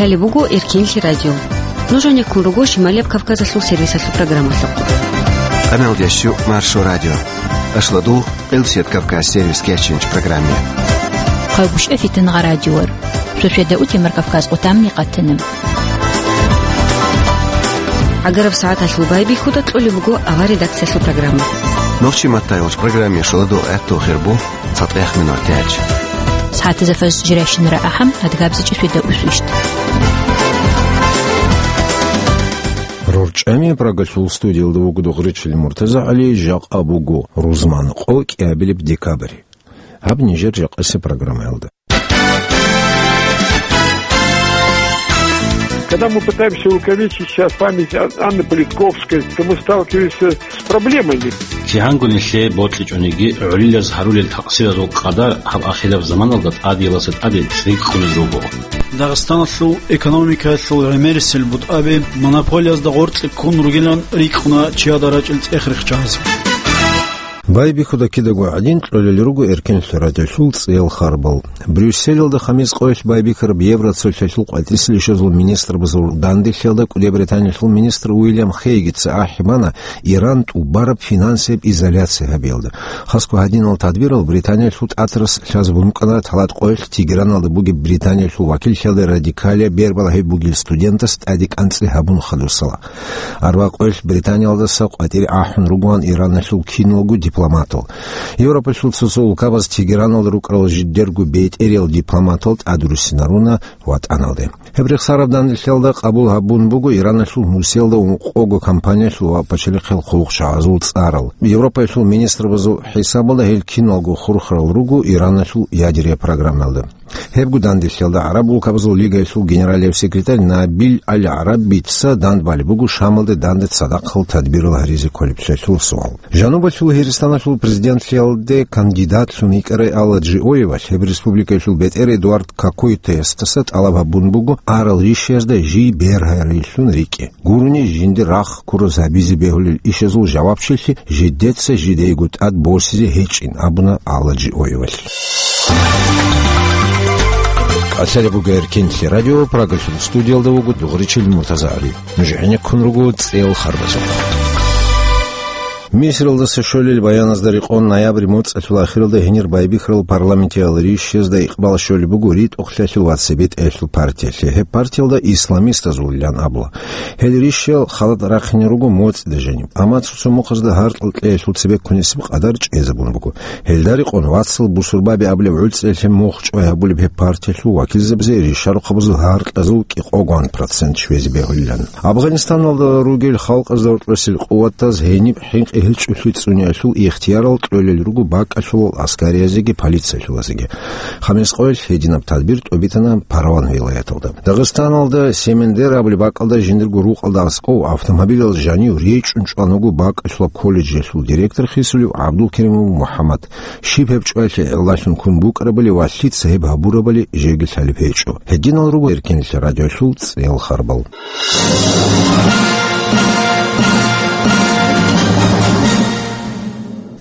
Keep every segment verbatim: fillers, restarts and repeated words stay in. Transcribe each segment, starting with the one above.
Лъалеб буго Эркенлъи радио. Нуж гьанеккун руго Шималияб Кавказалъул сервисалъул программалъухъ. Къаналдящу Маршо радио. Ашладул Къилсият Кавказ сервис кечинч программе. Хъагушев Фитнагъа радиор. Шошеда утемар Кавказ къутамни къатана. ГӀагараб сагӀаталъул байбихьуда кьолеб буго авар редакциялъул программа. Нохчи маттайолч программе шоладул гӀаттул хирбу. ЦатӀехъ минутач. СагӀатазда фаз жирайщинара ахӀам, адгабзичӀи шведа усвищт. РорчӀами Прагалъул студиялда вуго Дугъричил МуртазагӀали, жакъа буго рузман къо кӀиабилеб декабрь. Гьаб нижер жакъасеб программаялда. Когда мы пытаемся увековечить сейчас память Ан-, Анны Политковской, то мы сталкиваемся с проблемами. КигӀанго нилъее бокьичӀониги, гӀолилаз гьарулел такъсиразул къадар гьаб ахираб заманалда тӀадиялдаса тӀаде рикӀкӀунел руго. Дагъистаналъул экономикаялъул гӀемерисел бутӀаби монополиязда гъоркье ккун ругилан рикӀкӀуна чияда рачӀел цӀех рихчаз. Байбихьуда кидаго гӀадин кьолел руго Эркенлъи радиолъул цӀел харбал. Брюсселалда хамис къоялъ байбихьараб Евроцолъалъул къватӀисел ишазул министрабазул данделъиялда кӀудияб Британиялъул министр Уильям Хейгица ахӀи бана Иран тӀубараб финансияб изоляция гьабиялда. Хасго гьадинал тадбирал Британиялъул тӀатарас лъазабун букӀана талат къоялъ Тегераналда бугеб Британиялъул вакиллъиялда радикалияб бербал гьеб бугел студентас тӀаде кӀанцӀи гьабун хадусала. Арба къоялъ Британиялдаса къватӀире ахӀун ругоан Ираналъул киналго дипломатал. Европалъул цо-цо улкабаз Тегераналда рукӀарал жидерго бетӀериял дипломатал тӀадруссинаруна ватӀаналде. Гьеб рехсараб данделъиялда къабул гьабун буго Ираналъул нусиялда ункъого компаниялъул ва пачалихъал хъулухъчагӀазул цӀарал. Европаялъул министрабазул хӀисабалда гьел киналго хурхарал руго Ираналъул ядерия программаялда. Гьебго данделъиялда ГӀараб улкабазул лигаялъул генералияб секретарь Набил Аль-ГӀарабица дандбалеб буго Шамалде данде цадахъал тадбирал гьаризе кколеблъиялъул суал. Жанубалъул Гьиристаналъул президентлъиялде кандидатлъун йикӀарай Алла Джиоевалъ гьеб республикаялъул бетӀер Эдуард Кокойтоясдаса тӀалаб гьабун буго арал ришиязда жий бергьарилълъун рикӀкӀе. Гурони жинда рахъ ккураз гьабизе бегьулел ишазул жавабчилъи жидеца жидейго тӀад босизе гьечӀин, абуна Алла Джиоевалъ. КӀалъалеб буго Эркенлъи радио, Прагалъул студиялда вуго Дугъричил МуртазагӀали. Нуж гӀенеккун руго цӀел харбазухъ. Мисралдаса щолел баяназда рекъон, ноябрь моцӀалъул ахиралда гьенир байбихьарал парламентиял ришшезда икъбал щолеб буго ритӀухълъиялъул ва цебетӀеялъул партиялъе. Гьеб партиялда исламистазулилан абула. Гьел ришшиял халат рахъине руго моцӀида жаниб, амма цо-цо мухъазда гьаркьал кьеялъул цебе ккунесеб къадар чӀезабун буго. Гьелда рекъон вацал бусурбаби абулеб гӀуцӀиялъе мухь чӀвай гьабулеб гьеб партиялъул вакилзабазе ришарухъабазул гьаркьазул кӀикъогоан процент щвезе бегьулилан. Афганистаналда ругел халкъазда гьоркьосел къуватаз гьениб хӀинкъи гьечӀолъи цӀуниялъул ихтиярал кьолел руго бакӀалъулал аскариязеги полициялъулазеги. Хамис къоялъ гьединаб тадбир тӀобитана Парван вилаяталда. Дагъистаналда Семендер абулеб бакӀалда жиндирго рукъалда аскӀов автомобилал жанив речӀун чӀван вуго бакӀалъулаб колледжалъул директор хисулев ГӀабдулкеримов МухӀаммад. Щиб гьеб чӀваялъе гӀиллалъун ккун букӀарабали ва лъица гьеб гьабурабали жеги лъалеб гьечӀо. Гьединал руго Эркенлъи радиолъул цӀел харбал.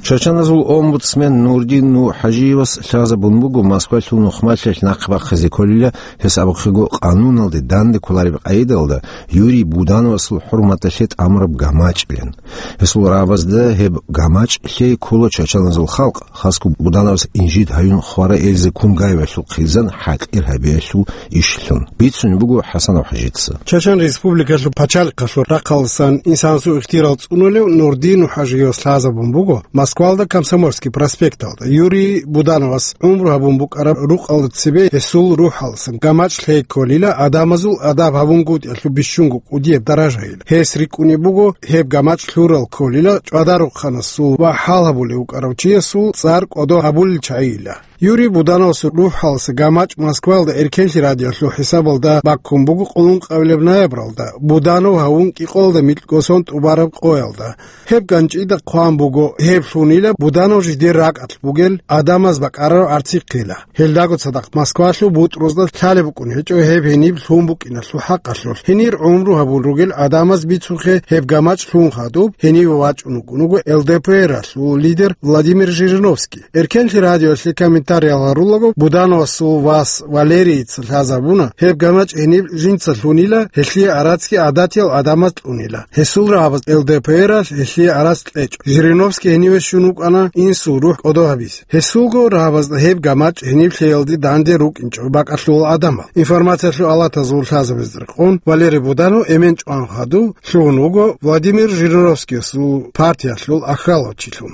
Чачаназул омбудсмен Нурдин НухӀажиевас лъазабун буго Москвалъул нухмалъиялъ нахъе бахъизе кколила, гьес абухъего къануналде данде кколареб къагӀидалда Юрий Будановасул хӀурматалъе тӀамураб гамачӀлъун. Гьесул рагӀабазда гьеб гамачӀ лъей ккола чачаназул халкъ, хасго Будановас инжит гьаюн хварай Эльза Кунгаевалъул хъизан хӀакъир гьабиялъул ишлъун. Бицунеб буго ХӀасанов ХӀажица. Чачан Республикалъул пачалихъалъул рахъалдасан инсанасул ихтияр цӀунулев Нурдин НухӀажиевас лъазабун буго Москвалда Комсомольский проспекталда Юрий Будановас гӀумру гьабун букӀараб рукъалда цебе гьесул рухӀалдасан гамачӀ лъей кколила, адамазул адаб гьабунгутӀиялъул бищунго кӀудияб даражайила. Гьес рикӀкӀунеб буго гьеб гамачӀ лъурал кколила, ЧӀвадарухъанасул ва хӀал гьабулев вукӀарав чиясул цӀар кӀодо гьабулел чагӀийила. Юрий Будановасул рухӀалдаса гамачӀ Москвалда Эркенлъи радиолъул хӀисабалда баккун буго къуллункъабилеб ноябралда, Буданов гьавун кӀикъоялда микьго сон тӀубараб къоялда. Гьеб ганчӀида хъван буго, гьеб лъунила Буданов жидер ракӀалъ бугел адамаз бакӀарараб гӀарцихъила. Гьелдаго цадахъ Москвалъул бутӀрузда лъалеб букӀун гьечӀо гьеб гьениб лъун букӀиналъул хӀакъалъулъ. Гьенир гӀумру гьабун ругел адамаз бицухъе гьеб гамачӀ лъун хадуб, гьениве вачӀун вукӀун вуго ЛДПРалъул лидер Владимир Жириновский. Эркенлъи радиолъе комментарий Гьариял гьарулаго, Будановасул вас Валерийица лъазабуна, гьеб гамачӀ гьениб жинца лъунила, гьелъие арацги гӀадатиял гӀадамаз кьунила. Гьесул рагьабаз Л Д П Р-алъ гьелъие арац кьечӀо. Жириновский гьениве щун вукӀана инсул рухӀ кӀодо гьабизе. Гьесулго рагьабазда гьеб гамачӀ гьениб лъеялде данде рукӀинчӀо бакӀалъулал гӀадамал. Информациялъул палатазул лъазабазда рекъон Валерий Буданов эмен чӀван хадув лъугьун вуго Владимир Жириновскиясул партиялъул ахьалав чилъун.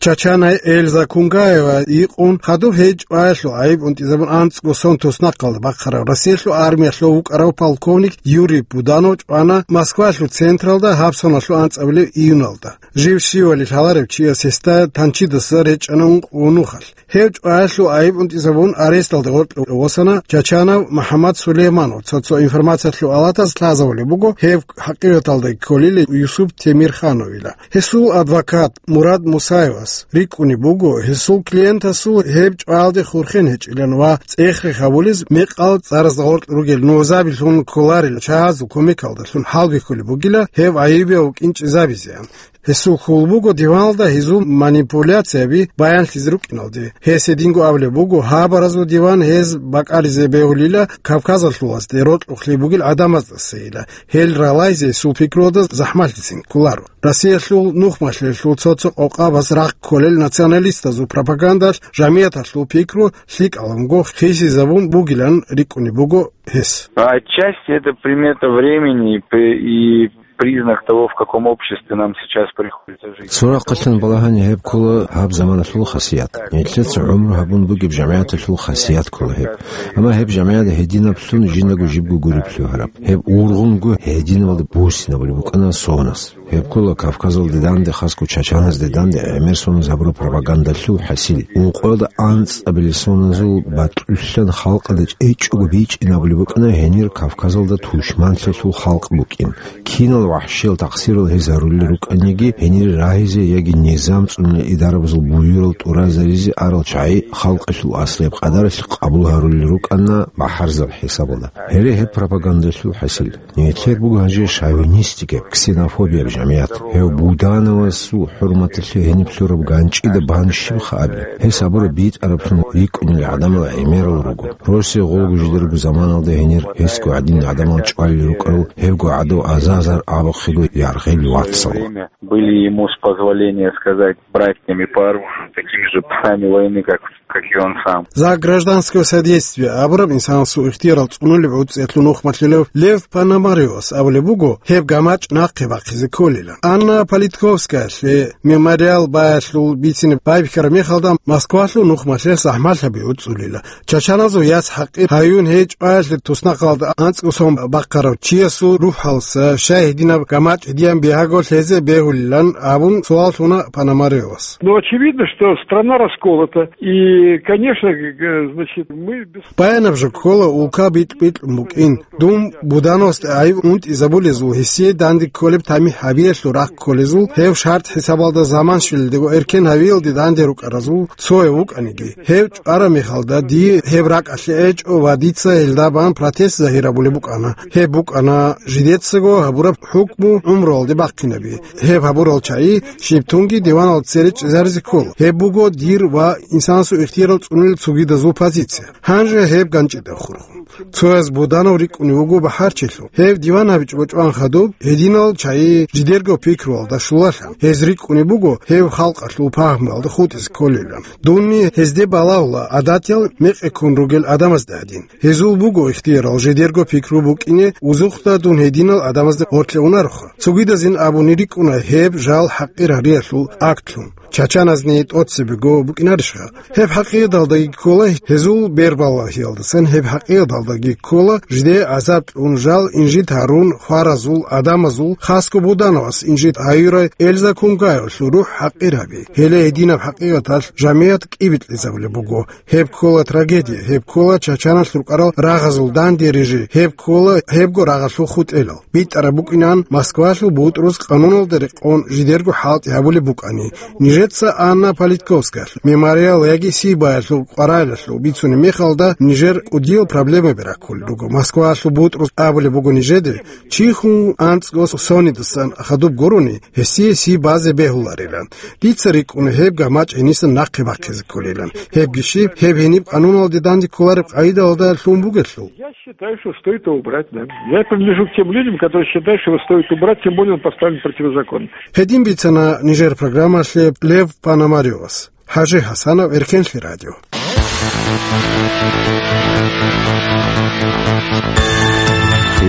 Чачанай Эльза Кунгаева йикъун хадуб гьей чӀваялъул гӀайиб унтӀизабун анцӀго сон туснахъалда бахъарав Россиялъул армиялъул вукӀарав полковник Юрий Буданов чӀвана Москвалъул централда гьаб соналъул анцӀабилеб июналда. Жив щивали лъаларев чияс гьесда танчидаса речӀчӀана ункъо нухалъ. Гьев чӀваялъул гӀайиб унтӀизабун аресталда гъоркье восана Чачанав МухӀаммад Сулейманов, цо-цо информациялъул палатаз лъазабулеб буго, гьев хӀакъикъаталдаги кколила Юсуп Темирхановила. Гьесул адвокат Мурад Мусаевас рикӀкӀунеб буго, гьесул клиентасул гьеб чӀваялде хурхен гьечӀилан ва цӀех-рех гьабулез мекъал цӀаразда гъоркь ругел нугӀзабилъун кколарел чагӀазул кумекалдалъун хӀалбихьулеб бугила гьев гӀайибияв вукӀин чӀезабизеян. Гьесул хьул буго диваналда гьезул манипуляцияби баянлъизе рукӀиналде. Гьес гьединго абулеб буго, гьабаразул диван гьез бакӀализе бегьулила Кавказалъулазде рокьухълъи бугел гӀадамаздасайила. Гьел ралайзе гьесул пикруялда захӀмалъицин кколаро. Россиялъул нухмалъиялъул цо-цо къокъабаз рагъ кколел националистазул пропагандалъ жамияталъул пикру лъикӀалъунго хисизабун бугилан рикӀкӀунеб буго гьес. Отчасти это примета времени и п-, и признак того, в каком обществе нам сейчас приходится жить. Цо рахъалъан балагьани гьеб ккола гьаб заманалъул хасият. Нилъеца гӀумру гьабун бугеб жамгӀияталъул хасият ккола гьеб. Амма гьеб жамгӀият гьединаблъун жиндаго жибго гуреб лъугьараб. Гьеб ургъунго гьединабалда буссинабулеб букӀана соназ. Гьеб ккола Кавказалде данде, хасго чачаназде данде гӀемер соназ гьабураб пропагандалъул хӀасил. Ункъоялда анцӀабилеб соназул бакьулъан халкъалда чӀечӀого бичӀчӀинабулеб букӀана гьенир Кавказалда тушманлъиялъул халкъ букӀин. Кинал вахӀшиял такъсирал гьез гьарулел рукӀаниги, гьенир рагьизе яги низам цӀунулел идарабазул буюрал тӀуразаризе арал чагӀи халкъалъул аслияб къадаралъ къабул гьарулел рукӀана бахӀарзаб хӀисабалда. Гьеле гьеб пропагандалъул хӀасил. Нилъер буго гьанже шовинистикаб, ксенофобияб жамгӀият. Гьев Будановасул хӀурматалъе гьениб лъураб ганчӀида бан щибха абе? Гьес абураб битӀараблъун рикӀкӀунел гӀадамал гӀемерал руго. Росие гъолго жидерго заманалда гьенир гьесго гӀадин гӀадамал чӀвалел рукӀарал, гьебго гӀадав азазар абухъего яргъел вацал. Время были ему, с позволения сказать, братьями по оружию, такими же псами войны, как, как и он сам. За гражданское содействие абураб инсанасул ихтиярал цӀунулеб гӀуцӀиялъул нухмалъилев Лев Пономарёвас абулеб буго, гьеб гамачӀ нахъе бахъизе кколила. Анна Политковскаялъе мемориал баялъул бицине байбихьараб мехалда Москвалъул нухмалъе захӀмалъаби уцӀулила. Чачаназул яц хӀакъир гьаюн гьей чӀваялъе туснахъалда анцӀго сон бахъарав чиясул рухӀалса щай гьединаб гамачӀ гьедиян бигьаго лъезе бегьулилан абун суал лъуна Пономарёвас. Ну, очевидно, что страна расколота. И, конечно, г-, г-, значит, мы без... Баянаб жо ккола улка битӀ-битӀун букӀин. Дун Будановасде гӀайиб унтӀизабулезул, гьесие данде кколеб тамихӀ гьабиялъул рахъ кколезул, гьев шартӀ хӀисабалда заман щвелалдего эркен гьавиялде данде рукӀаразул цояв вукӀаниги, гьев чӀвараб мехалда дие гьеб ракӀалъе гӀечӀо ва дица гьелда бан протест загьир гьабулеб букӀана. Гьеб букӀана жидецаго гьабураб хӀукму гӀумруялде бахъинаби. Гьеб гьабурал чагӀи щиб тунги диванал цере чӀезаризе ккола. Гьеб буго дир ва инсанасул ихтиярал цӀунулел цогидазул позиция. Гьанже гьеб ганчӀида хурхун. Цояз Буданов рикӀкӀунев вуго бахӀарчилъун. Гьев диван гьабичӀого чӀван хадуб, гьединал чагӀи жидерго пикруялда щолалъан. Гьез рикӀкӀунеб буго гьев халкъалъул пагьмуялда хутӀизе кколилан. Дунни гьезде балагьула гӀадатиял мекъи ккун ругел гӀадамазда гьадин. Гьезул буго ихтиярал жидерго пикру букӀине, узухъда дун гьединал гӀадамазда гъорлъе унароха. Цогидазин абуни рикӀкӀуна гьеб жал хӀакъир гьариялъул актлъун. Чачаназни тӀоцебего букӀинарищха? Гьеб хӀакъикъаталдаги ккола гьезул бербалагьиялдасан, гьеб хӀакъикъаталдаги ккола жидее гӀазаб кьун, жал инжит гьарун, хваразул, гӀадамазул, хасго Будановас инжит гьаюрай Эльза Кунгаевалъул рухӀ хӀакъир гьаби. Гьеле гьединаб хӀакъикъаталъ жамият кӀибитӀизабулеб буго. Гьеб ккола трагедия, гьеб ккола чачаналъ рукӀарал рагъазул данде рижи, гьеб ккола гьебго рагъалъул хутӀелал. БитӀараб букӀинан Москвалъул бутӀруз къануналда рекъон жидерго хӀалтӀи гьабулеб букӀани, нижер Эца Анна Политковскаялъ мемориал яги Сибаялъул къваригӀелалъул бицунеб мехалда нижер кӀудиял проблемаби раккулел руго. Москваялъул бутӀрул абулеб буго нижеде, чи хун анцӀго сонидасан хадуб гурони, гьесие Сибазе бегьуларилан. Дица рикӀкӀуна гьеб гамачӀ гьенисан нахъе бахъизе кколилан. Гьебги щиб, гьеб гьениб къануналде данде кколареб къагӀидалда лъун бугелъул. Я считаю, что стоит его убрать, да. Я принадлежу к тем людям, которые считают, что его стоит убрать, тем более он поставлен противозаконно. Гьедин бицана нижер программалъе Лев Пономарёвас. ХӀажи ХӀасанов, Эркенлъи радио.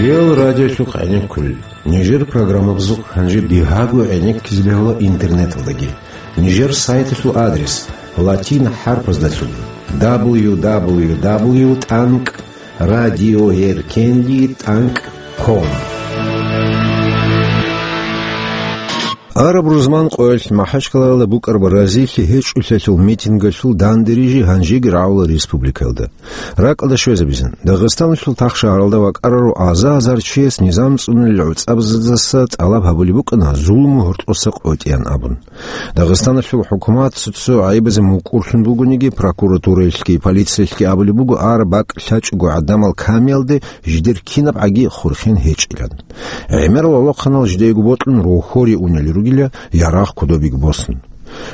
Реал радиолъухъ гӀенеккулел. Нижер программабазухъ гьанже бигьаго гӀенеккизе бегьула интернеталдаги. Нижер сайталъул адрес латин хӀарпаздалъун: дабл ю дабл ю дабл ю тӀанкӀ радиоэркенлъи тӀанкӀ ком. Араб рузман къоялъ МахӀачкъалаялда букӀараб разилъи гьечӀолъиялъул митингалъул дандерижи гьанжеги рагӀула республикаялда. РакӀалда щвезабизан, Дагъистаналъул тахшагьаралда вакӀараро аза-азар чияс низам цӀунулел гӀуцӀабаздаса тӀалаб гьабулеб букӀана зулму гьоркьоса къотӀеян абун. Дагъистаналъул хӀукумат цо-цо гӀайибазе мукӀурлъун бугониги, прокуратураялъги полициялъги абулеб буго араб бакӀ лъачӀого гӀадамал камиялде жидер кинаб гӀаги хурхен гьечӀилан. ГӀемерал гӀолохъанал жидеего бокьун рохьоре унел ругила, ярагъ кодобеги босун.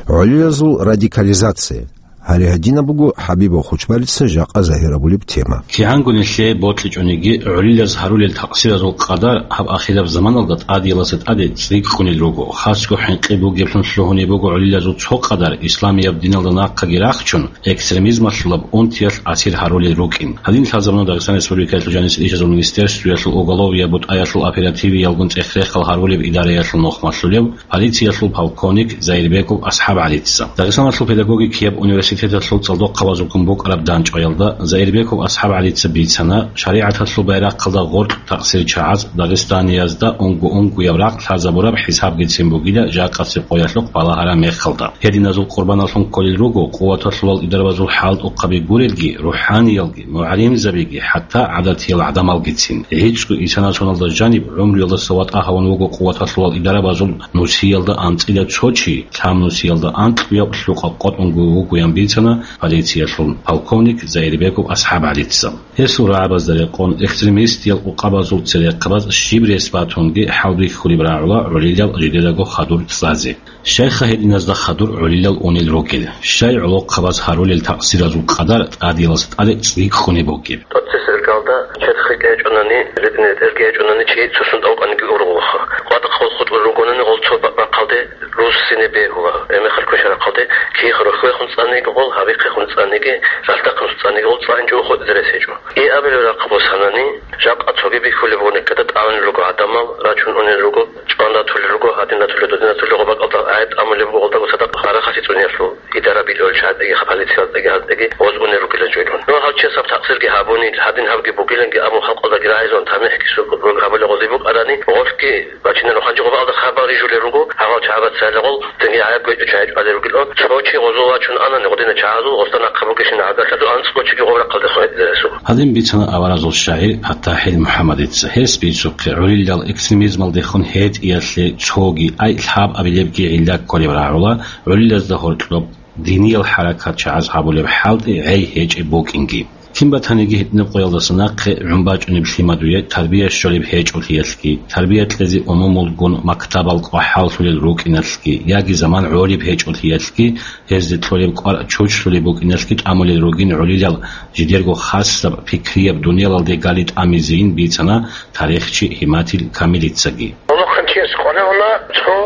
ГӀолилазул радикализация. Гьале гьадинаб буго ХӀабибов Хучбалица жакъа загьир абулеб тема. КигӀанго нилъее бокьичӀониги, гӀолилаз гьарулел такъсиразул къадар гьаб ахираб заманалда тӀадияласа тӀаде цӀикӀкӀунел руго, хасго хӀинкъи бугеблъун лъугьунеб буго гӀолилазул цо къадар исламияб диналда нахъаги рахчун, экстремизмалъулаб унтиялъ асир гьарулел рукӀин. Гьадин лъазабуна Дагъистан Республикаялъул жанисел ишазул министерствоялъул уголовияб бутӀаялъул оперативиялгун цӀех-рехал гьарулеб идараялъул нухмалъулев, полициялъул полковник Заирбеков АсхӀаб ГӀалица. Дагъистаналъул педагогикияб университеталъул цӀалдохъабазулгун букӀараб дандчӀваялда Заирбеков АсхӀаб ГӀалица бицана, шаригӀаталъул байрахъалда гъоркь такъсир чагӀаз дагъистаниязда унго-унгояб рахъ лъазабураб хӀисабгицин бугила жакъасеб къоялъухъ балагьараб мехалда. Гьединазул къурбаналлъун кколел руго къуваталъулал идарабазул хӀалтӀухъаби гурелги, рухӀаниялги, мугӀалимзабиги, хӀатта гӀадатиял гӀадамалгицин. ГӀицӀго исанасуналда жаниб гӀумруялдаса ватӀа гьавун вуго къуваталъулал идарабазул нусиялда анцӀила цо чи, лъаб нусиялда анкьуяб лъукъа къотӀунго вугоян бицана полициялъул полковник Заирбеков АсхӀаб ГӀалица. Гьесул рагӀабазда рекъон, экстремистиял къукъабазул церехъабаз щиб рес батунги хӀалбихьулеб рагӀула гӀолилал жидедаго хадур цӀазе. Щайха гьединазда хадур гӀолилал унел ругел? Щай гӀолохъабаз гьарулел такъсиразул къадар тӀадияласа тӀаде цӀикӀкӀунеб бугеб? ТӀоцебесеб иргалда черх кьечӀунани, ретӀине тӀерги гьечӀунани чи цо сунтӀа вукӀаниги ургъулха. КъватӀахъ гъол хутӀул ругонани гъол цо ба-, бахъалде рузсине бегьула, гӀемехалъ квешарахъалде кигӀ рохьвехун цӀаниги гъол, гьабихъехун цӀаниги, ралъдахъун цӀаниги гъол цӀанчӀо хутӀизе рес гьечӀо. И абилеб рахъ босанани, жакъа цоги бихьулеб бугони ккада тӀамил руго гӀадамал, рачун унел руго, чӀван ратулел руго, гьадин ратулел, дудин ратулел гъо бакӀалда гӀайиб тӀамулеб буго гъолдаго цадахъ гьарахъалъи цӀунеялъул. Идарабилъул чагӀаздаги, полицияздаги гьаздаги гъоз унел ругилан жойрун. Ну, гьал чияс гьаб такъсирги гьабуни, гьадин гьабги бугиланги абун халкъалдаги рагӀизун тамихӀги сукъ-, гьабулел гъози букӀарани, гъолъги бачинал хъанчӀо гъобалда хабар рижулел руго, гьагъал чагӀаца гъол динги гӀайиб гьечӀо чагӀи чӀвалел ругилан, цо чи гъозул вачун анани гъодина чагӀазул гъосда нахъа бугещин гӀадаталъул анцӀго чиги гъоб рахъалдехун гьединасул. Гьадин бицана аваразул шагӀир ПатахӀил МухӀаммадица. Гьес бицухъе, гӀолилал экстремизмалдехун гьетӀиялъе цоги, ай лъабабилебги гӀилла кколеб рагӀула, гӀолилазда гьоркьоб диниял хӀаракат чагӀаз гьабулеб хӀалтӀи гӀей гьечӀеб букӀинги. Кин батаниги гьитӀинаб къоялдаса нахъе гӀун бачӀунеб лъимадуе тарбия щолеб гьечӀолъиялъги, тарбия кьезе умумулгун мактабал кӀвахӀаллъулел рукӀиналъги, яги заман гӀолеб гьечӀолъиялъги, гьезде кьолеб кӀвар чучлъулеб букӀиналъги тӀамулел ругин гӀолилал жидерго хасаб пикрияб дуниялалде гали тӀамизейин бицана тарихчи Гьиматилъ Камилицаги. Гьалмагъ хъанчияс къваригӀуна цо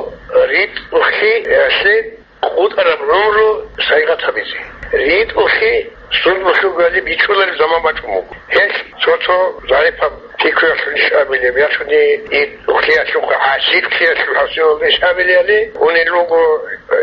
ритӀухълъи, яхълъи, къотӀараб гӀумру сайгъат гьабизе. РитӀухълъи зулмулъ ругояли бичӀчӀулареб заман бачӀун буго. Гьелъ цо-цо загӀипаб пикруялъул иш абилеб, я цони ритӀухълъиялъухъ, гӀасилъиялъул хӀасилалда иш абилебали унел руго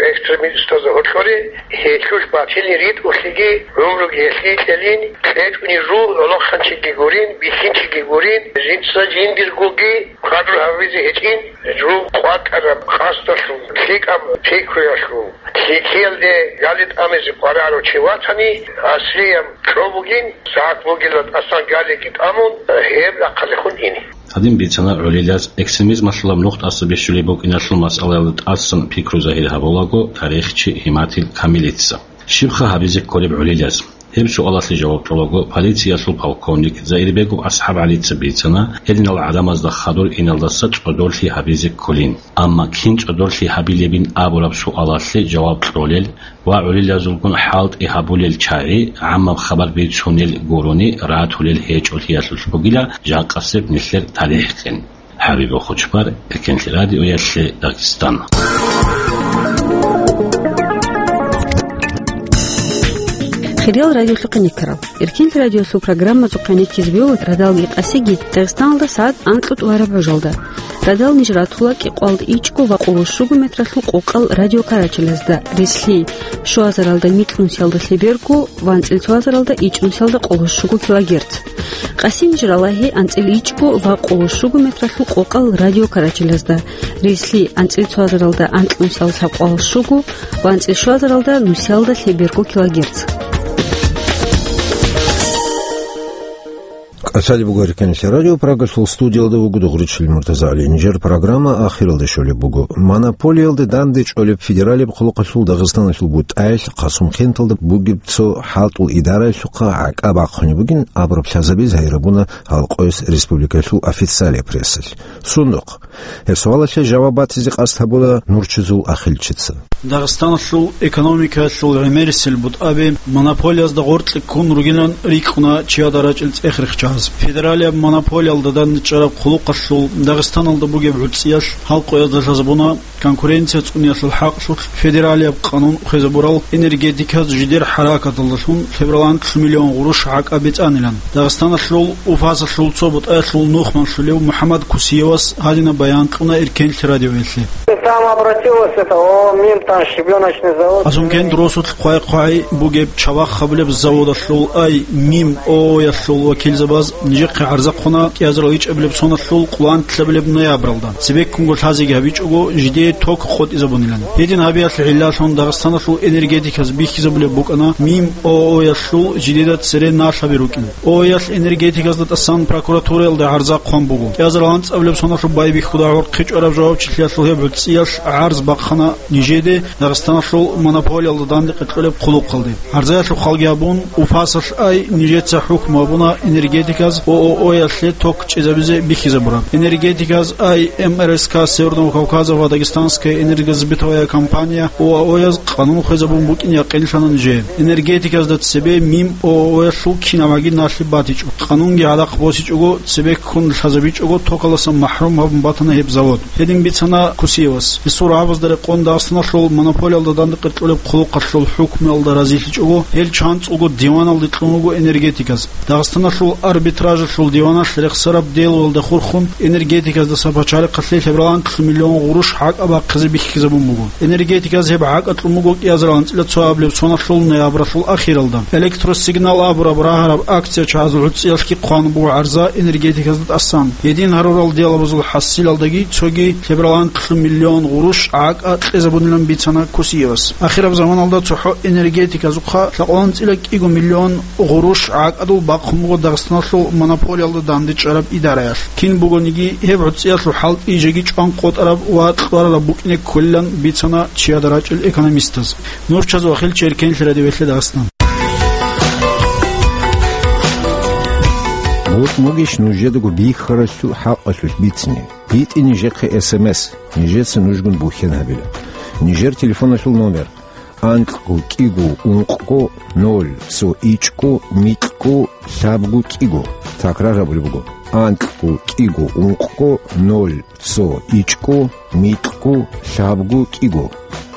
экстремистазда гьоркьоре. Гьелъулъ батилин ритӀухълъиги гӀумруги гьелъие кьелин, кьечӀунел руго гьалмагъ хъанчиги гурин, бихьинчиги гурин, жинца жиндиргоги квадру гьавизе гьечӀин, жугьутӀ къватӀараб къасдалъун, лъикӀаб пикруялъун, лъикӀлъиялде гали тӀамизе къваригӀарав чи ватани, асрияб чӀо бугин, сагӀат бугила тӀасан галиги тӀамун, гьеб рахъалдехун ине. Гьадин бицана гӀолилаз экстремизмалъулаб нух тӀаса бихьулеб букӀиналъул масъалаялда тӀасан пикру загьир гьабун. кьолаго тарихчи Гьиматил Камилица. Щибха гьабизе кколеб гӀолилаз? Гьеб суалалъе жаваб кьолаго, полициялъул полковник Заирбеков АсхӀаб ГӀалица бицана, гьединал гӀадамазда хадур иналдаса цӀодорлъи гьабизе кколин. Амма кин цӀодорлъи гьабилебин абураб суалалъе жаваб кьолел ва гӀолилазулгун хӀалтӀи гьабулел чагӀи гӀаммаб хабар бицунел гурони ратулел гьечӀолъиялъулъ бугила жакъасеб нилъер талихӀ къин. ХӀабиб Хучбар, Эркенлъи радиоялъе, Дагъистан. Хириял радиолъухъе никарал. Эркенлъи радиолъул программазухъе никизе бегьула радалги къасиги Дагъистаналда сагӀат анкьго тӀолареб гӀужалда. Радал ниж ратула кӀикъоялда ичӀго ва къоло щуго метралъул къокъал радиокарачалазда, рилълъи щуазаралда микьнусиялда лъеберго ва анцӀила цоазаралда ичӀнусиялда къоло щуго килогерц. Къаси ниж ралагьи анцӀила ичӀго ва къоло щуго метралъул къокъал радиокарачалазда, рилълъи анцӀила цоазаралда анкьнусиялда лъабкъоялда щуго ва анцӀила щуазаралда нусиялда лъеберго килогерц. КӀалъалеб буго Эркенлъи радио, Прагалъул студиялда вуго Дугъричил МуртазагӀали. Нижер программа ахиралде щолеб буго. Монополиялде дандечӀолеб федералияб хъулухъалъул Дагъистаналъул бутӀаялъ Хъасумкенталда бугеб цо хӀалтӀул идараялъухъа гӀакӀа бахъунеб бугин абураб лъазабиз гьайрабуна гьал къоялъ республикалъул официалияб прессалъ. Сундухъ. Гьеб суалалъе жаваб батизе къасд гьабуна Нурчизул Ахилчица. Дагъистаналъул экономикаялъул гӀемерисел бутӀаби монополиязда гъоркье ккун ругилан рикӀкӀуна чияда рачӀел цӀех рихчаз. Федералияб монополиялда дандечӀараб хъулухъалъул Дагъистаналда бугеб гӀуцӀиялъ гьал къоязда лъазабуна конкуренция цӀуниялъул хӀакълъулъ федералияб къанун хвезабурал энергетиказ жидер хӀаракаталдалъун лъеберал анкьлъи миллион гъурущ гӀакӀа бецӀанилан. Дагъистаналъул УФАСалъул цо бутӀаялъул нухманлъулев МухӀаммад Кусиевас гьадинаб баян кьуна Эркенлъи радиоялъе. Там обратилось это ООО «Мим», там щебёночный завод. Хъасумкент росулъ хъвай-хъвай бугеб чавахъ гьабулеб заводалъул, ай, «Мим» ООО-ялъул вакилзабаз нижехъе гӀарза хъвана кӀиазарал ичӀабилеб соналъул къоло анлъабилеб ноябралда. Цебеккунго лъазеги гьабичӀого, жидее ток къотӀизабунилан. Гьедин гьабиялъе гӀиллалъун Дагъистаналъул энергетиказ бихьизабулеб букӀана «Мим» ООО-ялъул жидеда цере налъаби рукӀин. ООО-ялъ энергетиказда тӀасан прокуратураялда гӀарза хъван буго. КӀиазарал анцӀабилеб соналъул байбихьуда гӀорхъичӀараб жавабчилъиялъул гьеб гӀуцӀиялъ гӀарз бахъана нижеде Дагъистаналъул монополиялда дандекъе кьолеб хъулухъалде. ГӀарзаялъухъ хъалги гьабун, УФАСалъ, ай, нижеца хӀукму гьабуна энергетиказ ООО-ялъе ток чӀезабизе бихьизабураб. Энергетиказ, ай, МРСК Северного Кавказа ва Дагестанская энергосбытовая компания, ОАО-яз къанун хвезабун букӀин якъинлъана нижее. Энергетиказда цебе «Мим» ООО-ялъул кинабгӀаги налъи батичӀо. Къанунги гьадахъ босичӀого, цебеккун лъазабичӀого, токалдаса махӀрум гьабун батана гьеб завод. Гьедин бицана Кусиевас. Гьесул рагӀабазда рекъон Дагъистаналъул монополиялда дандекъе кьолеб хъулухъалъул хӀукмуялда разилъичӀого, гьел чанцӀулго диваналде кьун руго энергетиказ. Дагъистаналъул арбитражалъул диваналъ рехсараб делоялда хурхун, энергетиказдаса пачалихъалъе лъеберал анлъ миллион гъурущ гӀакӀа бахъизе бихьизабун буго. Энергетиказ гьеб гӀакӀа кьун буго кӀиазарал анцӀила цоабилеб соналъул ноябралъул ахиралда. Электросигнал абураб рагьараб акция чагӀазул гӀуцӀиялъги хъван буго гӀарза энергетиказда тӀасан. Гьедин гьарурал делабазул хӀасилалдаги цоги лъеберал анлъ миллион гъурущ гӀакӀа кьезабунилан бицана Кусиевас. Ахираб заманалда цохӀо энергетиказухъа лъакъван анцӀила кӀиго миллион гъурущ гӀакӀадул бахъун буго Дагъистаналъул монополиялда дандечӀараб идараялъ. Кин бугониги, гьеб гӀуцӀиялъул хӀалтӀи жеги чӀван къотӀараб ва кьварараб букӀине кколилан бицана чияда рачӀел экономистаз. Нурчаз ва Хилчи, Эркенлъи радиоялъе, Дагъистан. БутӀ бугищ нужедаго бихьаралъул хӀакъалъулъ бицине? БитӀи нижехъе СМС, нижеца нужгун бухьен гьабила. Нижер телефоналъул номер: анкьго кӀиго ункъго ноль цо ичӀго микьго лъабго кӀиго. Такрар гьабулеб буго: анкьго кӀиго ункъго ноль цо ичӀго микьго лъабго кӀиго.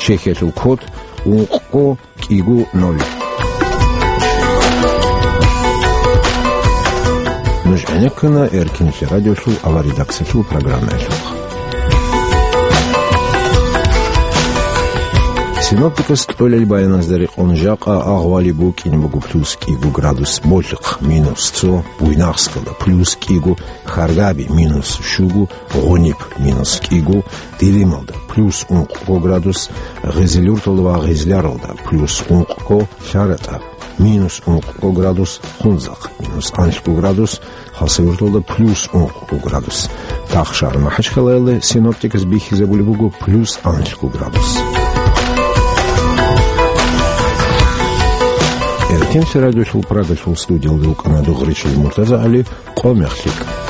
Чехиялъул код: ункъго кӀиго ноль. Нуж гӀенеккана Эркенлъи радиолъул аваридаксалъул программаялъухъ. Синоптикас кьолел баяназда рекъон жакъа агъвали букӀин буго плюс кӀиго градус Болъихъ, минус цо, Буйнакскалда плюс кӀиго, Харгаби минус щуго, Гъуниб минус кӀиго, Делималда плюс ункъго градус, Гъизилюрталда ва Гъизляралда плюс ункъго, ЛъаратӀа минус ункъго градус, Хунзахъ минус анлъго градус, Хасавюрталда плюс ункъго градус. Тахшар МахӀачхъалаялда синоптикас бихьизабулеб буго плюс анлъго градус. Кинси радиолъул Прагасул студиялда вукӀана Дугъричил МуртазагӀали, къо мехлъи.